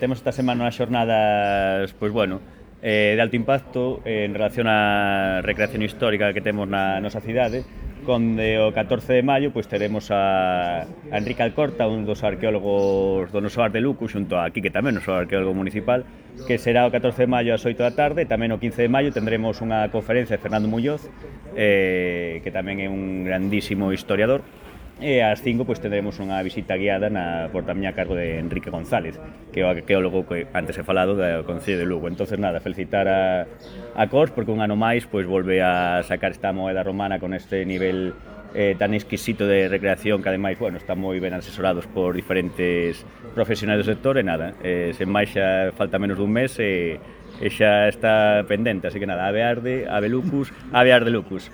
Temos esta semana unhas xornadas, pois bueno, de alto impacto en relación á recreación histórica que temos na nosa cidade, onde o 14 de maio pois teremos a Enrique Alcorta, un dos arqueólogos do noso Ar de Luco, xunto a Quique tamén, o noso arqueólogo municipal, que será o 14 de maio ás 8 da tarde. Tamén o 15 de maio tendremos unha conferencia de Fernando Muñoz, que tamén é un grandísimo historiador. E ás 5 pois tendremos unha visita guiada por tamén a cargo de Enrique González, que é o arqueólogo que antes he falado do Concello de Lugo. Entonces nada, felicitar a Cos porque un ano máis pois volve a sacar esta moeda romana con este nivel tan exquisito de recreación, que ademais, bueno, está moi ben asesorados por diferentes profesionais do sector. E nada, sen máis xa falta menos dun mes e xa está pendente, así que nada, ave arde, ave lucus, ave arde lucus.